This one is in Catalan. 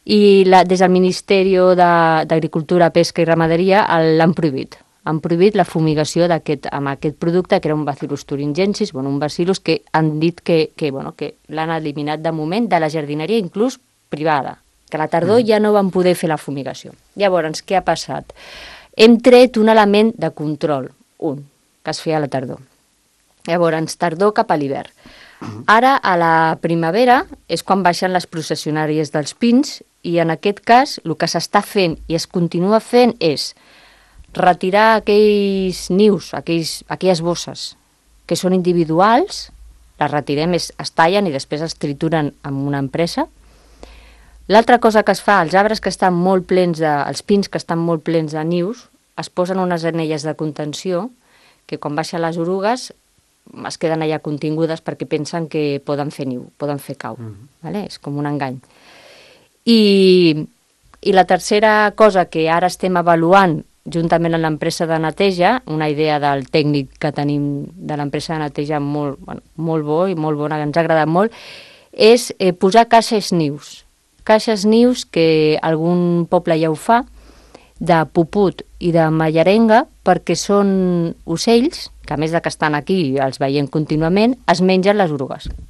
i des del Ministeri d'Agricultura, Pesca i Ramaderia l'han prohibit. Han prohibit la fumigació amb aquest producte, que era un Bacillus thuringiensis, un bacillus que han dit que l'han eliminat de moment de la jardineria, inclús privada, que a la tardor ja no van poder fer la fumigació. Llavors, què ha passat? Hem tret un element de control, que es feia a la tardor. Llavors, tardor cap a l'hivern. Ara, a la primavera, és quan baixen les processionàries dels pins i en aquest cas el que s'està fent i es continua fent és retirar aquells nius, aquelles bosses que són individuals, les retirem, es tallen i després es trituren amb una empresa. L'altra cosa que es fa, els arbres que estan molt plens els pins que estan molt plens de nius, es posen unes anelles de contenció que quan baixen les orugues es queden allà contingudes perquè pensen que poden fer niu, poden fer cau. Vale? És com un engany. I la tercera cosa que ara estem avaluant juntament amb l'empresa de neteja, una idea del tècnic que tenim de l'empresa de neteja molt bo i molt bona, que ens ha agradat molt, és posar caixes nius. Caixes nius que algun poble ja ho fa, de puput i de mallarenga, perquè són ocells, que a més de que estan aquí, els veiem contínuament, es mengen les orugues.